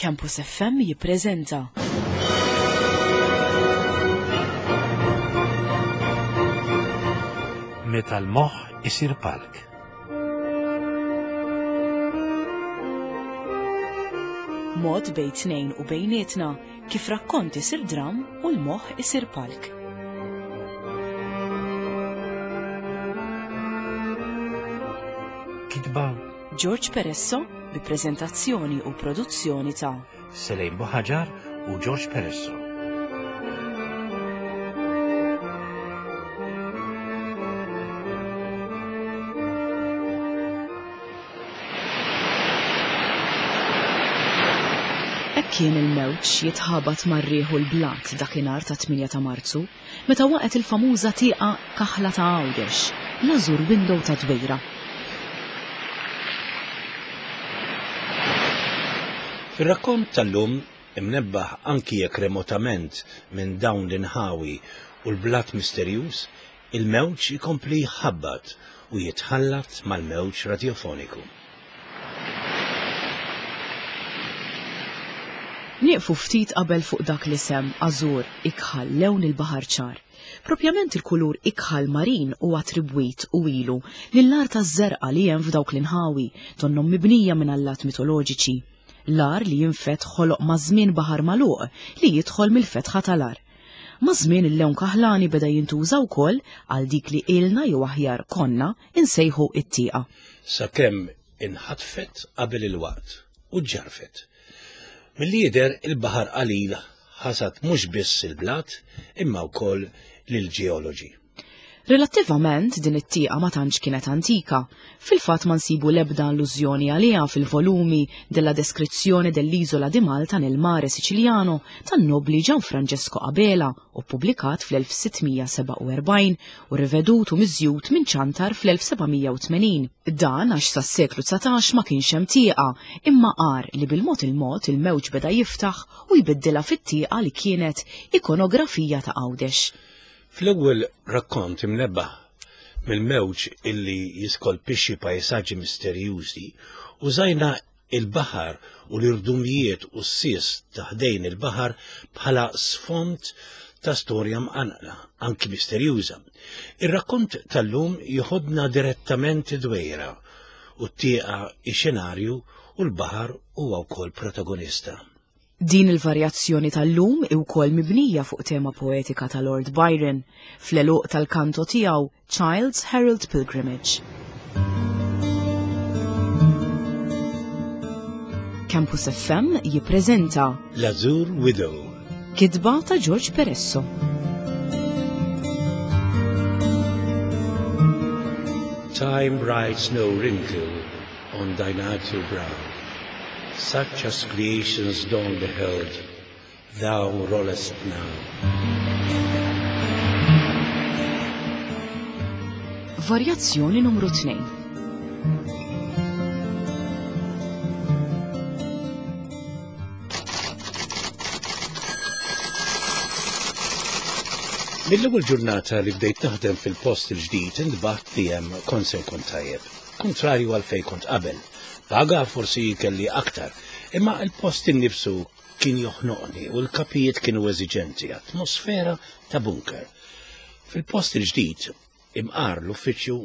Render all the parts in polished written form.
Campus FM jippreżenta. Meta l-moħħ isir palk. Mod bejn tnejn u bejnietna kif rakkont isir dram u l-moħħ isir palk. Kitba George Peresso bi preżentazzjoni u produzzjoni ta' Selejn Buħaġar u George Peresso. Hekk kien il-mewġ jitħabat mar-riħ u l-blat dakinhar tat-8 ta' Marzu, meta waqgħet il-famuża tieqa kaħla ta' Għawdex, l-Azure Window ta' Dwejra. Fir-rakkont tal-lum, imnebbaħ anki jekk remotament minn dawn l-inħawi u l-blat misterjuż, il-mewġ ikompli jħabbat u jitħallat mal-mewġ radjofoniku. Nieqfu ftit qabel fuq dak l-isem, ażur, ikħal, lewn il-baħar ċar. Propjament il-kulur ikħal marin hu attribwit u ilu lill-art taż-żerqa li hemm f'dawk l-inħawi, donnhom mibnija minn allat mitoloġiċi. L-għar li jinfed ħoloq maż-żmien baħar magħluq li jidħol mill-fetħa tal-għar. Maż-żmien il-lewn kaħlani beda jintuża wkoll għal dik li ilna jew aħjar konna insejħu it-tieqa. Sakemm inħatfet qabel il-waqt u ġġarfet. Milli jidher il-baħar qalil ħasad mhux biss il-blat imma wkoll lill-ġeoloġi. Relattivament din it-tieqa ma tantx kienet antika. Fil-fatt ma nsibu l-ebda allużjoni għaliha fil-volumi della Descrizione dell'Isola di Malta nel Mare Siciliano tan-nobli Gianfrancesco Abela u ppubblikat fl-1647 u rivedut u miżjud minn Ciantar fl-1780. Dan għax sas-seklu 19 ma kienx hemm tieqa, imma għar li bil-mod il-mod il-mewġ beda jiftaħ u jbiddilha fit-tieqa li kienet ikonografija ta' Għawdex. Fl-ewwel rakkont imnebbaħ mill-mewġ illi jiskolpixxi pajsaġġi misterjużi, użajna il-baħar u l-irdumijiet u s-sies ta' ħdejn il-baħar bħala sfond ta' storja mqanqla, anki misterjuża. Ir-rakkont tal-lum joħodna direttament id-Dwejra u t-tieqa ix-xenarju u l-baħar huwa wkoll protagonista. Din il-varjazzjoni tal-lum hi wkoll mibnija fuq tema poetika ta' Lord Byron fl-għeluq tal-kanto tiegħu Child's Herald Pilgrimage. Campus FM jippreżenta L-Azure Widow. Kitba ta' George Peresso. Time writes no wrinkle on thine azure brow, such as creation's dawn beheld, thou rollest now. Varjazzjoni numru 2. Mill-ewwel ġurnata li bdejt naħdem fil-post il-ġdid intbaħt li hemm kont se nkun tajjeb. Kuntrarju għal fejn kont qabel. Paga forsi kelli aktar, imma l-post innifsu kien joħnoqni u l-kapijiet kienu eżiġenti, atmosfera ta' bunker. Fil-post il-ġdid, imqar l-uffiċċju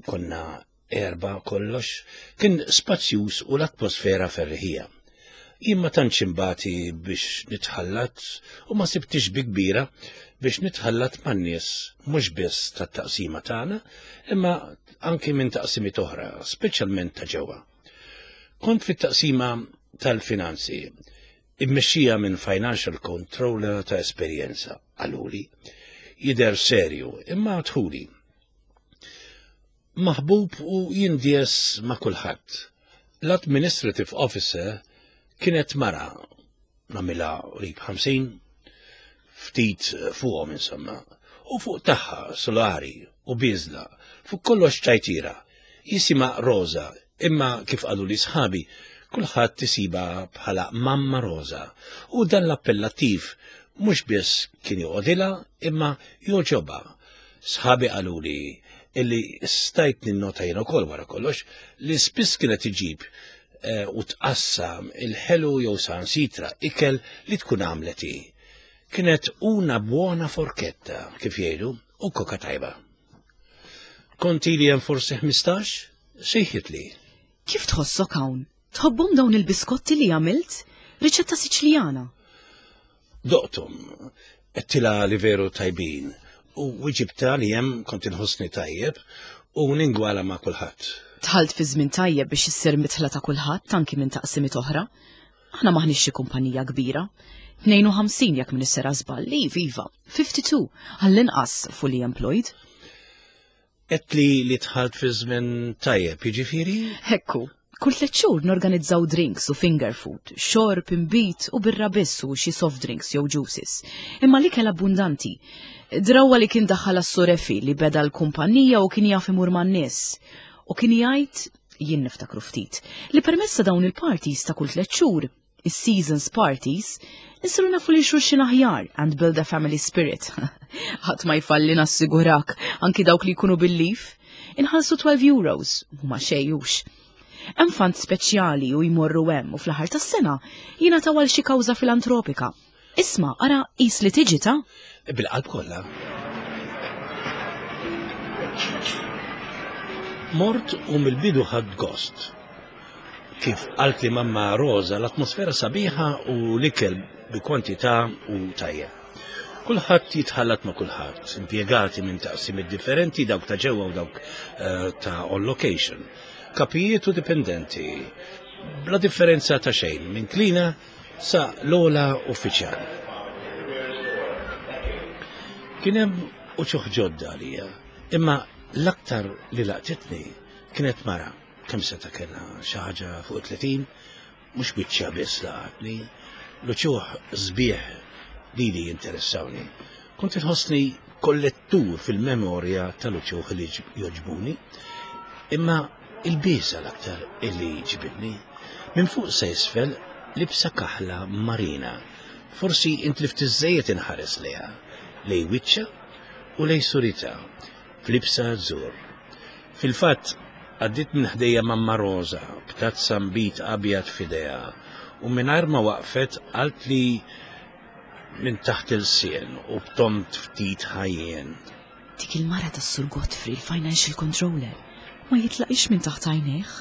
konna erbgħa kollox, kien spazjuż u l-atmosfera ferriħija. Jien ma tantx imbati biex nitħallat u ma sibtix bi kbira biex nitħallat man-nies mhux biss tat-taqsima tagħna, imma anki minn taqsimiet oħra, speċjalment ta' ġewwa. Kont fit-taqsima tal-finanzi, immexxija minn financial controller ta' esperjenza, qaluli. Jidher serju, imma dħuli. Maħbub u jindies ma' kulħadd. L-administrative officer kienet mara, nagħmilha qrib 50, ftit fuqhom insomma, u fuq tagħha solari u bieżla, fuq kollox ċajtira. Jisimha Rosa, imma kif qaluli sħabi, kulħadd isibha bħala Mamma Rosa, u dan l-appellattiv mhux biss kien joqgħodilha imma jogħġobha. Sħabi qaluli illi stajt ninnota jien ukoll wara kollox li spiss kienet iġib. eh, u tqassam il-ħelu jew sansitra ikel li tkun għamlet hi. Kienet una buona forketta, kif jgħidu, u koka tajba. Kont ili hemm forsi 15, sejħitli. Kif tħossok hawn? Tħobbhom dawn il-biskotti li għamilt? Riċetta Siċiljana. Doqthom, għedtilha li veru tajbin u wiġibtha li hemm kont inħossni tajjeb u ningwala ma' kulħadd. Dħalt fi żmien tajjeb biex issir midħla ta' kulħadd anki minn taqsimiet oħra. Aħna m'aħniex xi kumpanija kbira. 52 jekk m'iniex sera żball, iva, iva, 52, għall-inqas fully employed. Għedtli li dħalt fi żmien tajjeb, jiġifieri? Hekku. Kull tliet xhur norganizzaw drinks u finger food, xorb, inbid u birra biss u xi soft drinks jew juices. Imma l-ikel abbundanti. Drawwa li kien daħħalha s-Sur Efi li beda l-kumpanija u kien jaf imur man-nies. U kien jgħid, jien niftakru ftit, li permezz ta' dawn il-parties ta' kull tliet xhur, is-seasons parties, insiru nafu lil xulxin aħjar and build a family spirit. Ħadd ma jfalli nassigurak, anki dawk li jkunu bil-lif. Inħallsu 12 euros, huma xejjux. Hemm fund speċjali u jmorru hemm u fl-aħħar tas-sena jingħataw għal xi kawża filantropika. Isma', ara qis li tiġi ta'. Bil-qalb kollha. Mort u mill-bidu ħadt gost. Kif qaltli mamma Rosa, l-atmosfera sabiħa u l-ikel bi kwantità u tajjeb. Kulħadd jitħallat ma' kulħadd, impjegati minn taqsimiet differenti, dawk ta' ġewwa u dawk eh, ta' on location. Kapijiet u dipendenti, bla differenza ta' xejn, minn klina sa l-ogħla uffiċjal. Kien hemm uċuħ ġodda għalija, imma l-aktar li laqtitni kienet mara, kemm seta' kellha xi ħaġa fuq 30, mhux biċċa biss laqatni, l-uċuħ sbieħ lili jinteressawni. Kont inħossni kollettur fil-memorja tal-uċuħ li jogħġbuni, imma il-biża l-aktar illi ġibidni. Minn fuq sa isfel libsa kaħla marina. Forsi intlift iżżejjed inħares lejha, lej wiċċha u lej suritha, f'libsa azzur. Fil-fatt, għaddiet minn ħdejja mamma Rosa b'tazza nbid abjad f'idejha u mingħajr ma waqfet qaltli minn taħt ilsien u b'tont ftit ħajjien. Dik il-mara tas-Sur Godfrey, il-financial controller, ma jitlaqix minn taħt għajnejh.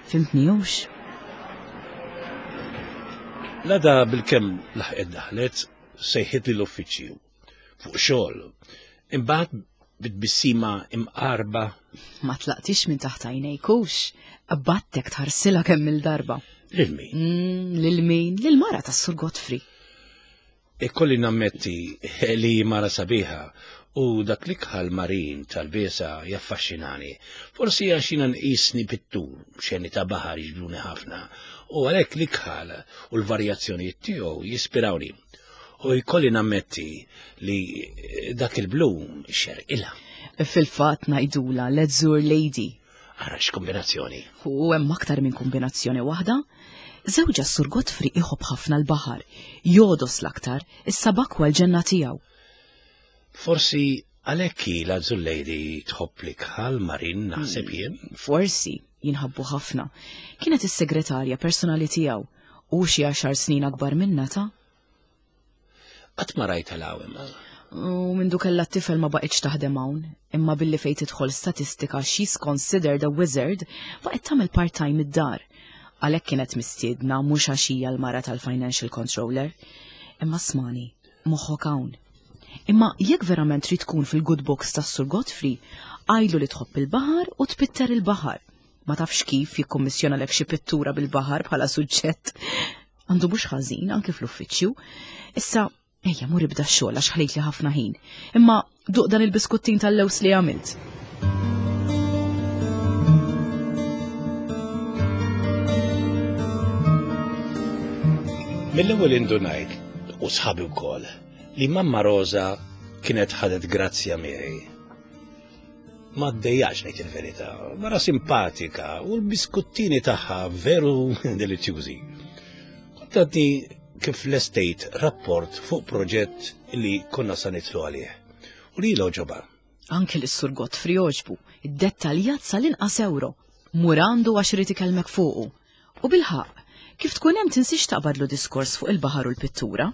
Fimtni hux? L-għada bilkemm laħqet daħlet, sejħitli l-uffiċċju fuq xogħol. Imbagħad bitbissima imqarba. Ma tlaqtix minn taħt għajnejk hux? Qbadtek tħarsilha kemm il-darba. Lil min? Mm, lil min? Lil mara tas-Sur Godfrey. Ikolli nammetti li hi mara sabiħa u dak l-ikħal marin tal-biesa jaffaxxinani. Forsi għax jiena nqisni pittur, xeni ta' baħar jiġbduni ħafna, u għalhekk l-ikħal u l-varjazzjonijiet tiegħu jispirawni. U jkolli nammetti li dak il-blu xerqilha. Fil-fatt ngħidulha l-Azure Lady. Ara x'kombinazzjoni. U hemm aktar minn kombinazzjoni waħda. Żewġha s-Sur Godfrey iħobb ħafna l-baħar, jogħdos l-aktar, is-sabakwa l-ġenna tiegħu. Forsi għalhekk hi l-Azure Lady tħobb l-ikħal marin naħseb hmm, jien. Forsi, jinħabbu ħafna. Kienet is-segretarja personali tiegħu u xi għaxar snin akbar minna ta' Qatt ma rajtha 'l hawn imma. U mindu kellha t-tifel ma baqgħetx taħdem hawn, imma billi fejn tidħol statistika she's considered a wizard, baqgħet tagħmel part-time id-dar. Għalhekk kienet mistiedna mhux għax hija l-mara tal-financial controller. Imma smani, moħħok hawn. Imma jekk verament trid tkun fil-good books tas-Sur Godfrey, għidlu li tħobb il-baħar u tpitter il-baħar. Ma tafx kif jikkummissjonalek xi pittura bil-baħar bħala suġġett. Għandu mhux ħażin anki fl-uffiċċju. Issa, ejja mur ibda x-xogħol għax ħlejtli ħafna ħin. Imma duq dan il-biskuttin tal-lews li għamilt. Mill-ewwel indunajt u sħabi wkoll li mamma Rosa kienet ħadet grazzja miegħi. Ma ddejjaqx ngħid il-verità, mara simpatika u l-biskuttini tagħha veru delizzjużi. Kont għadni kif lestejt rapport fuq proġett li konna sa nitlu għalih. U li loġoba. Anki l-Sur Godfrey għoġbu, iddettaljat sal-inqas euro. Mur għandu għax irid ikellmek fuqu. U bilħaqq, kif tkun hemm tinsiex taqbadlu diskors fuq il-baħar u l-pittura.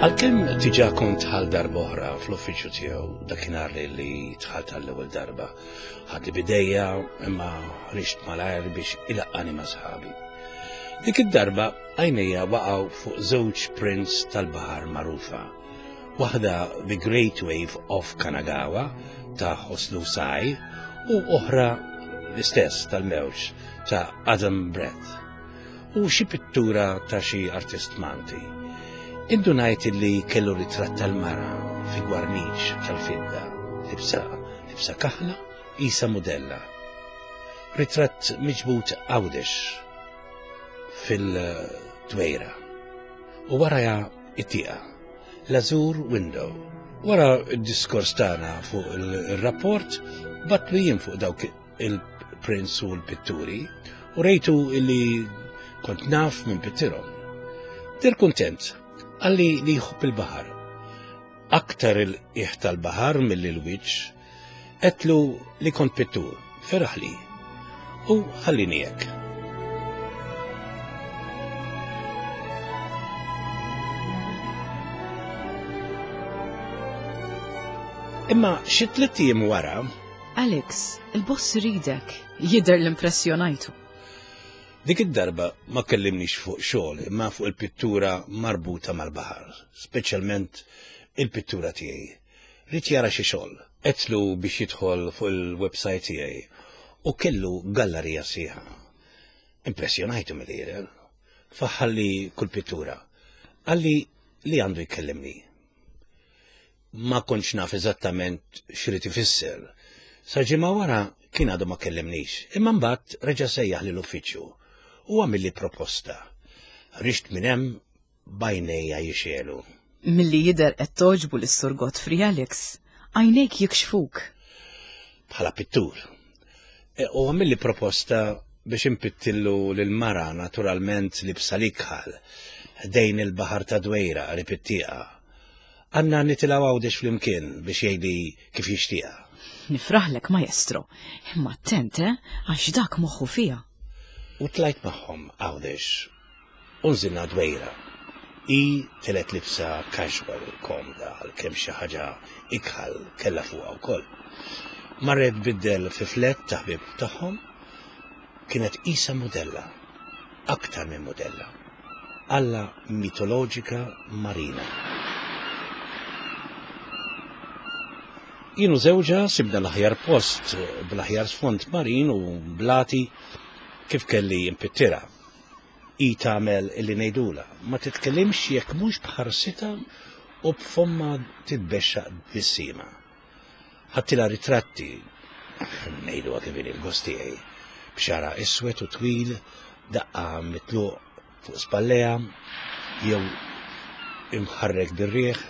Għalkemm diġà kont dħalt darb'oħra fl-uffiċċju tiegħu dakinhar li li dħalt għall-ewwel darba, ħadli bidejja imma ħriġt malajr biex ilaqqani ma' sħabi. Dik id-darba għajnejja waqgħu fuq żewġ prints tal-baħar magħrufa. Waħda The Great Wave of Kanagawa ta' Hoslu Sai u oħra l-istess tal-mewġ ta' Adam Brett u xi pittura ta' xi artist Malti. Indunajt li kellu ritratt tal-mara fi gwarniċ tal-fidda, libsa libsa kaħla isa mudella. Ritratt miġbud Għawdex fil-Dwejra u waraja it-tieqa, l-Azure Window. Wara d-diskors tagħna fuq il-rapport, batlu jien fuq dawk il-prints u l-pitturi u rejtu illi kont naf minn pittirhom. Dir kuntent, għalli li jħobb il-baħar. Aktar il-qiegħ tal-baħar milli l-wiċċ, għedtlu li kont pittur, feraħli u ħallini hekk. Imma xi tliet ijiem wara, Alex, il-boss iridek, jidher li impressjonajtu. Dik id-darba ma kellimnix fuq xogħol imma fuq il-pittura marbuta mal-baħar, speċjalment il-pittura tiegħi. Ried jara xi xogħol. Għedtlu biex jidħol fuq il-website tiegħi u kellu gallarija sħiħa. Impressjonajtu milli jidher. Faħħalli kull pittura. Qalli li għandu jkellimni. Ma kontx naf eżattament x'rid ifisser. Sa ġimgħa wara kien għadu ma kellimnix, imma mbagħad reġa' sejjaħ lill-uffiċċju u għamilli proposta. Ħriġt minn hemm b'għajnejja jixegħlu. Milli jidher qed togħġbu lis-Sur Godfrey Alex. Għajnejk jikxfuk. Bħala pittur. E, u għamilli proposta biex impittillu lil mara naturalment libsa l-ikħal ħdejn il-baħar ta' Dwejra qrib it-tieqa. Għandna nitilgħu Għawdex flimkien biex jgħidli kif jixtieqha. Nifraħlek maestro, imma attent eh, għax dak moħħu fiha. U tlajt magħhom Għawdex U nżilna Dwejra. Hi telgħet libsa casual komda għalkemm xi ħaġa ikħal kellha fuqha wkoll. Marret tbiddel fi flat ta' ħbieb tagħhom. Kienet qisha mudella. Aktar minn mudella. Alla mitoloġika marina. Jien u żewġha sibna l-aħjar post bl-aħjar sfond marin u blati kif kelli impittirha. Hi tagħmel illi ngħidulha, ma titkellimx jekk mhux b'ħarsitha u b'fommha titbexxaq tbissima. Ħadtilha ritratti, ngħiduha kif inhi l-gost tiegħi, b'xagħarha iswed u twil, daqqa mitluq fuq spallejha jew imħarrek bir-riħ,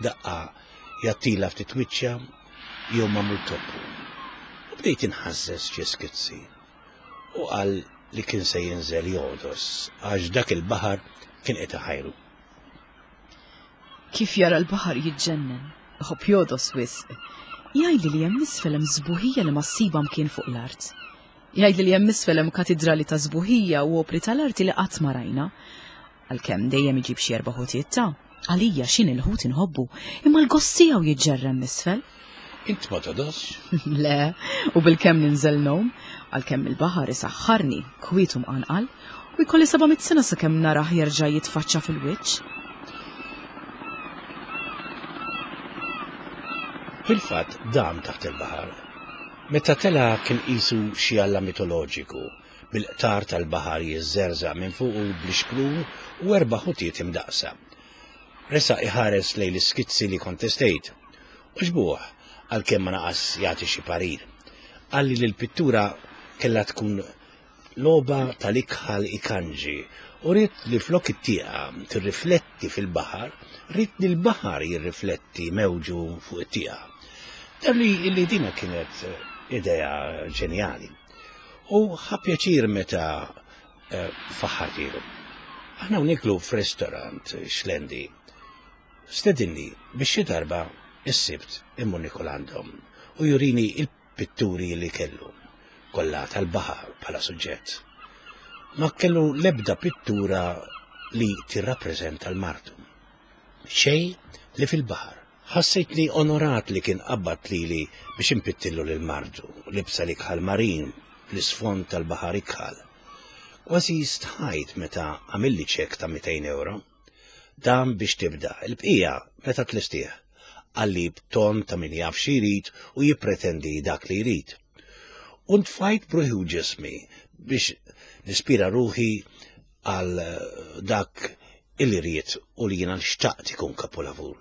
daqqa jgħattilha ftit wiċċha jew magħmul toppu. U bdejt inħażżeż xi skizzi. U qal li kien se jinżel jogħdos għax dak il-baħar kien qed iħajru. Kif jara l-baħar jiġġennen, iħobb jogħdos wisq. Jgħidli li hemm isfel hemm sbuħija li ma ssibha mkien fuq l-art. Jgħidli li hemm isfel hemm katidrali ta' sbuħija u opri tal-arti li qatt ma rajna. Għalkemm dejjem iġib xi erba' ħutiet ta'. Għalija x'inhi l-ħut inħobbu, imma l-gost tiegħu jiġġerra hemm isfel. Int ma togħdosx? Le, u bilkemm ninżel ngħum, għalkemm il-baħar isaħħarni, kwiet u mqanqal, u jkolli 700 sena sakemm narah jerġa' jitfaċċa fil-wiċċ. Fil-fatt dam taħt il-baħar. Meta tela' kien qisu xi alla mitoloġiku, bil-qtar tal-baħar jiżżerżaq minn fuqu bl-ixprun u erba' ħutiet imdaqqsa. Resaq iħares lejn l-iskizzi li kont testejt. Għoġbuh, għalkemm ma naqas jagħti xi parir. Qalli li l-pittura kellha tkun logħba tal-ikħal ikanġi u ried li flok it-tieqa tirrifletti fil-baħar, ried li l-baħar jirrifletti mewġu fuq it-tieqa. Deher li li dina kienet idea ġenjali. U ħa pjaċir meta eh, faħħartilu. Aħna u niklu f'restaurant xlendi. Stedinni biex xi darba is-sibt immur nikol għandhom. u jurini il-pitturi li kellu, kollha tal-baħar bħala suġġett. Ma kellu l-ebda pittura li tirrappreżenta l-martu. Xejn li fil-baħar. Ħassejtni onorat li kien qabbad lili biex impittillu lil martu, libsa l-ikħal marin fl-isfond tal-baħar ikħal. Kważi stħajt meta għamilli ċekk ta' 200 ewro. Dan biex tibda, il-bqija meta tlestih. Qalli b'ton ta' min jaf xi jrid u jippretendi dak li jrid. U ntfajt b'ruħi u ġismi biex nispira ruħi għal dak illi ried u li jiena xtaqt ikun kapolavur.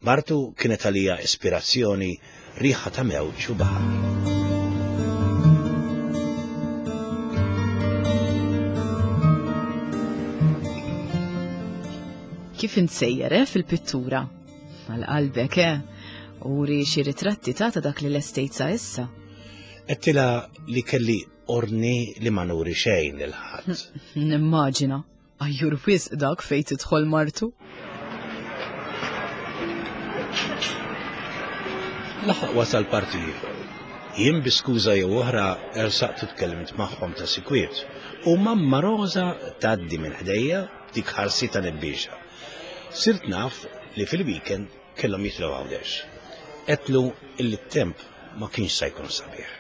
Martu kienet għalija ispirazzjoni riħa ta' mewġ u baħar. Kif insejjer eh, fil-pittura? Għal qalbek, eh? Uri xi ritratti ta' ta' dak li lestejt sa issa. Għedtilha li kelli ordni li ma nuri xejn lil ħadd. Nimmaġina. Ajjur wisq dak fejn tidħol martu. Laħaq wasal parti ieħor. Jien bi skuża jew oħra ersaqt u tkellimt magħhom ta' sikwiet u mamma Rosa tgħaddi minn ħdejja b'dik ħarsita nebbiexa. Sirt naf li fil-weekend kellhom jitilgħu Għawdex. Għedtlu illi t-temp ma kienx sa jkun sabiħ.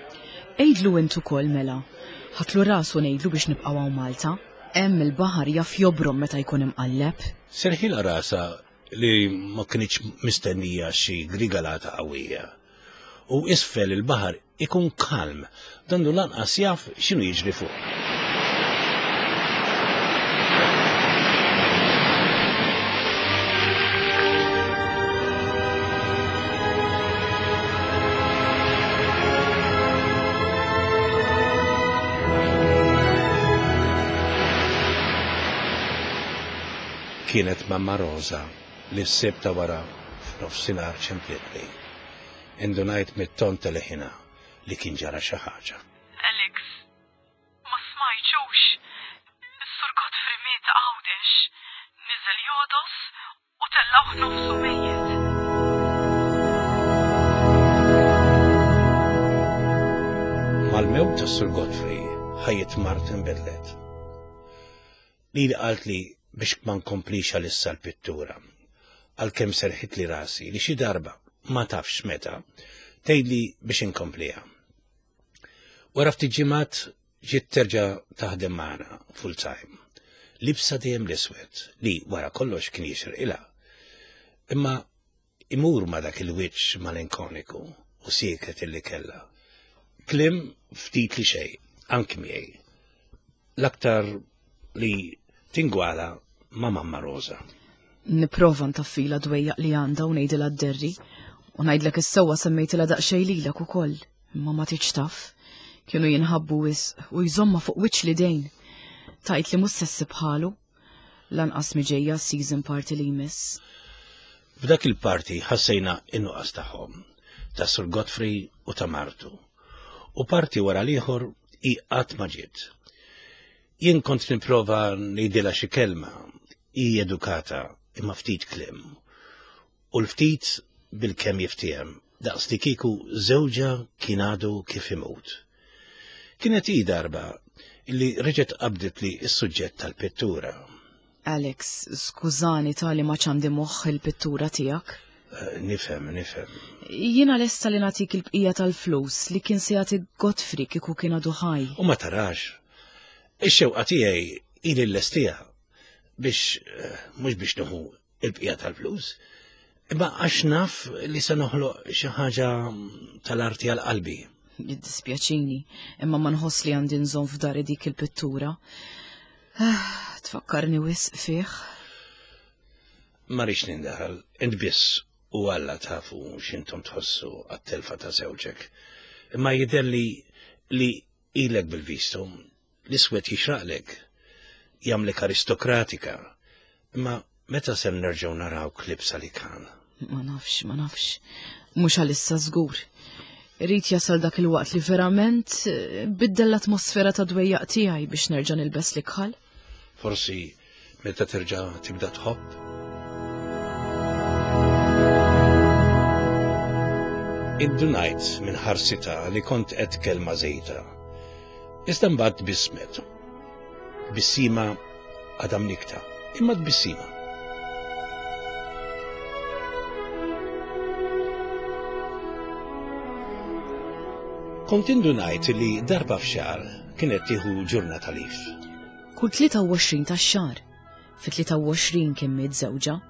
Għidlu int ukoll mela. Ħadtlu rasu ngħidlu biex nibqgħu hawn Malta. Hemm il-baħar jaf jobrom meta jkun imqalleb. Serħilha rasha li ma kinitx mistennija xi grigalata qawwija. U isfel il-baħar ikun kalm, donnu lanqas jaf x'inhu jiġri fuq. Kienet Mamma Rosa li s-Sibt ta' wara f'nofsinhar ċemplitni. Indunajt mit-ton ta' leħinha li kien ġara xi ħaġa. Alex, ma smajtx hux? Is-Sur Godfrey miet Għawdex. Niżel jogħdos u tellgħuh nofsu mejjet. Mal-mewt tas-Sur Godfrey, ħajjet Martha nbidlet. Lili qaltli biex ma nkomplix għalissa l-pittura, għalkemm serħitli rasi li xi darba, ma tafx meta, tgħidli biex inkompliha. Wara ftit ġimgħat ġiet terġa' taħdem magħna full time. Libsa dejjem l-iswed li wara kollox kien jixirqilha. Imma imur ma' dak il-wiċċ malinkoniku u sieket illi kellha. Kliem ftit li xejn, anki miegħi. L-aktar li tingwala ma' Mamma Rosa. Nipprova ntaffilha dwejjaq li għandha u ngħidilha dderri. U ngħidlek is-sewwa semmejtilha daqsxejn lilek ukoll, imma ma tridx taf. Kienu jinħabbu wisq u jżommha fuq wiċċ l-idejn. Tgħid li mhux se ssib bħalu. Lanqas mi ġejja s-season party li jmiss. F'dak il-party ħassejna n-nuqqas tagħhom, ta' Sur Godfrey u ta' martu. U party wara l-ieħor hi qatt ma ġiet. Jien kont nipprova ngħidilha xi kelma, hi edukata imma ftit kliem. U l-ftit bilkemm jiftiehem, daqs li kieku żewġha kien għadu kif imut. Kienet hi darba li reġgħet qabditli s-suġġett tal-pittura. Alex, skużani tali ma ċandi moħħ il-pittura tiegħek. Eh, nifhem, nifhem. Jiena lesta li nagħtik il-bqija tal-flus li kien se jagħti Godfrey kieku kien għadu ħaj. U ma tarax. Ix-xewqa tiegħi ili l-lestija biex eh, mhux biex nieħu il-bqija tal-flus, imma għax naf li se noħloq xi ħaġa tal-arti għal qalbi. Jiddispjaċini, imma ma nħoss li għandi nżomm f'dari dik il-pittura. Ah, tfakkarni wisq fih. Ma rridx nindaħal, int biss u Alla tafu x'intom tħossu għat-telfa ta' żewġek. Imma jidher li li ilek bil-vistu, l-iswed jixraqlek, jagħmlek aristokratika. Imma meta ser nerġgħu narawk libsa li kan? Ma nafx, ma nafx. Mhux għalissa żgur. Irid jasal dak il-waqt li verament eh, biddel l-atmosfera ta' dwejjaq tiegħi biex nerġa' nilbes l-ikħal. Forsi meta terġa' tibda tħobb? Indunajt minn ħarsitha li kont qed kelma żejda. Iżda mbagħad tbissmet. Tbissima għadha mnikta, imma tbissima. Kont indunajt li darba f'xahar kienet tieħu ġurnata lif. Kull 23 tax-xahar. Fit-23 kien miet żewġha.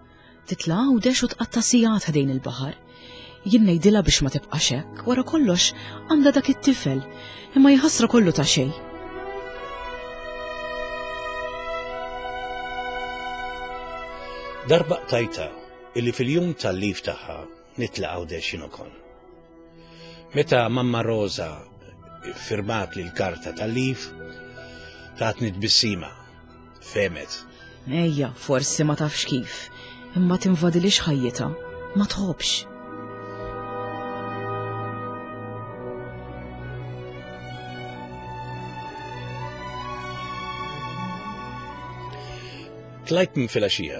Titla' Għawdex u tqatta' sigħat ħdejn il-baħar. Jien ngħidilha biex ma tibqax hekk, wara kollox għandha dak it-tifel, imma jħassra kollu ta' xejn. Darba qtajtha illi fil-jum tal-lif tagħha nitla' Għawdex jien ukoll. Meta Mamma Rosa firmat li l-karta tal-lif, tatni tbissima, femet. Ejja, forsi ma tafx kif, imma tinvadilix ħajjitha, ma tħobbx. Tlajt minn filgħaxija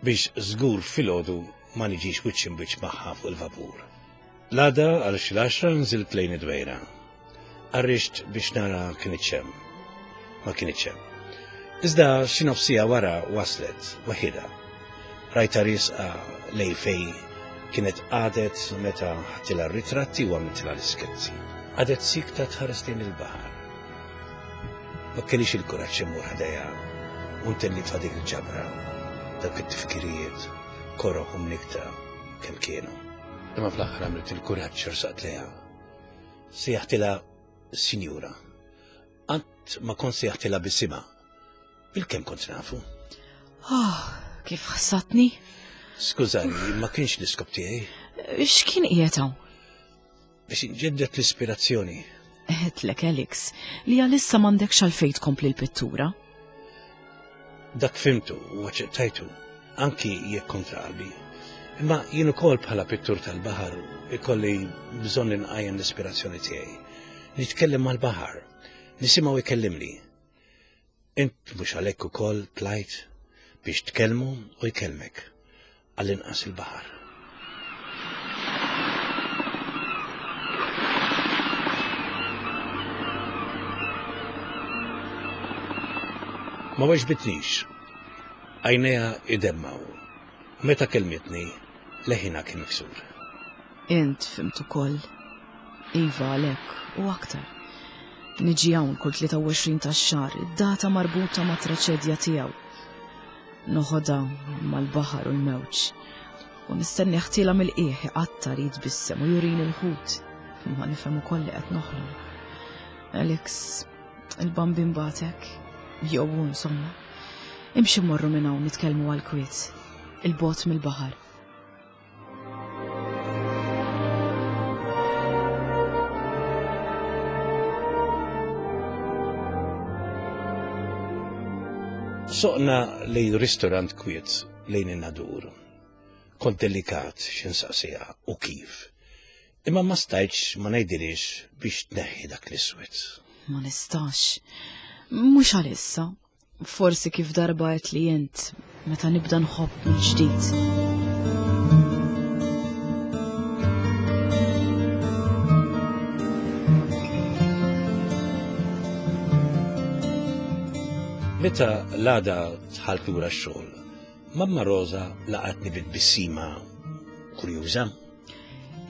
biex żgur filgħodu ma niġix wiċċ imbiċ magħha fuq il-vapur. L-għada għal xi l-għaxra nżilt lejn id-dwejra. Arrixt biex nara kinitx hemm. Ma kinitx hemm. Iżda xi nofsija wara waslet waħidha. Rajta riesqa lej fej kienet qagħdet meta ħadtilha r-ritratti u għamiltilha l-iskezzi. Qagħdet sikta tħares lejn il-baħar. Ma kellix il-kuraġġ immur ħdejha u ntellifha dik il-ġabra, dawk it-tifkirijiet, koroh u mnikta kemm kienu. Imma fl-aħħar għamilt il-kuraġġ rsaqt lejha. Sejjaħtilha sinjura. Qatt ma kont sejjaħtilha bisimha. Bil-kemm kont nafu. Oh, kif ħsatni? Skużani, ma kienx l-iskop tiegħi. X'kien qiegħed hawn? Biex inġeddet l-ispirazzjoni. Għedtlek, Alex, li għalissa m'għandekx għalfejn tkompli l-pittura. Dak fimtu u aċċettajtu, anki jekk kontra qalbi. Imma jien ukoll bħala pittur tal-baħar ikolli bżonn inqajjem l-ispirazzjoni tiegħi. Nitkellem mal-baħar, nisimgħu jkellimni. Int mhux għalhekk ukoll tlajt biex tkellmu u jkellmek, għall-inqas il-baħar. Ma weġbitnix. Għajnejha idemmaw. Meta kellmitni, leħinha kien miksur. Int fhimt ukoll. Iva għalhekk u aktar. Niġi hawn kull 23 tax-xahar, id-data marbuta ma' traċedja tiegħu. Noħodha mal-baħar u l-mewġ. U nistenni ħtila mill-qiegħ iqattar jitbissem u jurini l-ħut. Ma nifhem ukoll li qed noħlom. Alex, il-bambin batek, jew insomma. Imxi morru minn hawn nitkellmu għal-kwiet. Il-bot mill-baħar. Soqna lejn ristorant kwiet lejn in-nadur. Kont delikat x'insaqsiha u kif. Imma ma stajtx ma ngħidilhiex biex tneħħi dak l-iswed. Ma nistax. Mhux għalissa. Forsi kif darba għedt li int meta nibda nħobb mill-ġdid. Meta l-għada dħalt lura x-xogħol, Mamma Rosa laqatni bi tbissima kurjuża.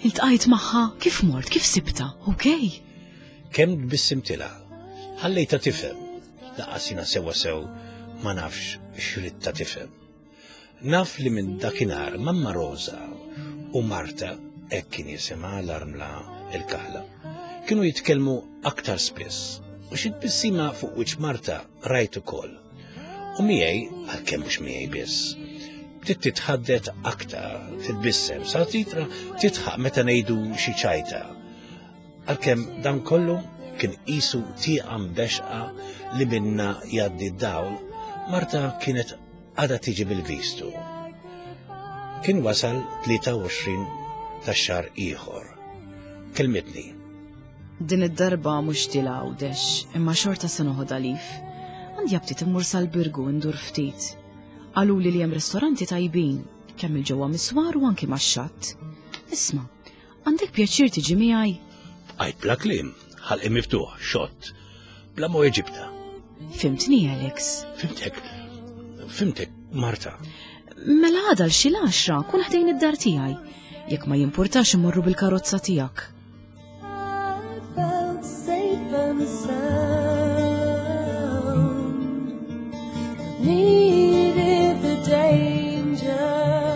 Iltqajt magħha kif mort, kif sibta, okej? Kemm tbissimtilha, ħallejtha tifhem Lanqas jiena sewwa sew ma nafx x'ridtha tifhem. Naf li minn dakinhar Mamma Rosa u Marta, hekk kien jisimha l-armla il-kaħla, kienu jitkellmu aktar spiss u xi tbissima fuq wiċċ Marta rajt ukoll. U miegħi, għalkemm mhux miegħi biss, bdiet titħaddet aktar, titbissem, sa titra titħaq meta ngħidu xi ċajta. Għalkemm dan kollu kien qisu tieqa mbexqa li minna jgħaddi d-dawl, Marta kienet għadha tiġi bil-vistu. Kien wasal 23 tax-xahar ieħor. Kelmitni. Din id-darba mhux tila Għawdex, imma xorta se noħodha lif. Għandi aptit immur sal-Birgu ndur ftit. Qaluli li hemm ristoranti tajbin, kemm il-ġewwa miswar u anki max-xatt. Isma', Għandek pjaċir tiġi miegħi? Bqajt bla kliem, ħalqi miftuħ, xott, bla ma weġibtha. Fimtni, Alex? Fimtek, fimtek, Marta. Mela għada l xi l-għaxra kun ħdejn id-dar tiegħi. Jekk ma jimpurtax immorru bil-karozza tiegħek.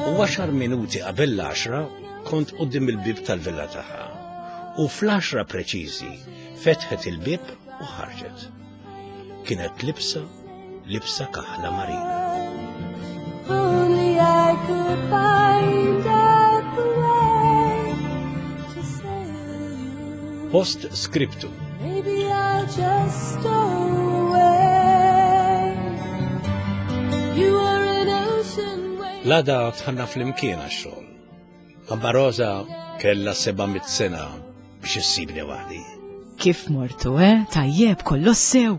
U għaxar minuti qabel l-għaxra kont quddiem il-bieb tal-villa tagħha. U fl-għaxra preċiżi fetħet il-bieb u ħarġet. Kienet libsa libsa kaħla marina. Only I could find out the way to sail you. Post scriptum. Maybe I'll just stow away. You are an ocean wave. L-għada tħanna fl-imkien għax-xogħol. Mamma Rosa kellha 700 sena biex issibni waħdi. Kif mortu, eh? Tajjeb, kollox sew.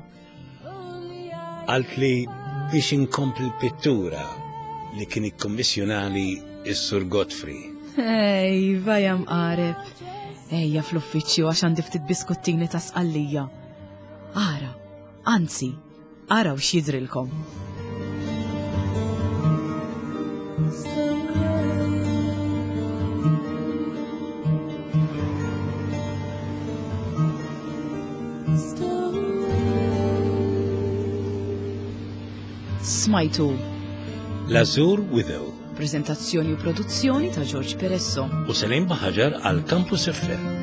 Qaltli biex inkompli l-pittura li kien ikkommissjonali s-Sur Godfrey. Ej, vaja mqareb. Ejja fl-uffiċċju għax għandi ftit biskuttini ta' sqallija. Ara, anzi, araw x'jidrilkom. Smajtu L-Azur Widow Prezentazzjoni u produzzjoni ta' George Peresso. u Selim Baħaġar għal Campus FM.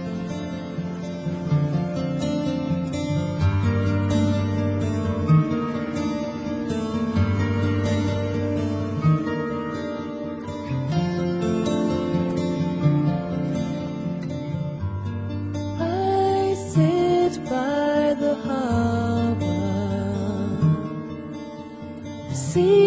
I sit by the harbor, the sea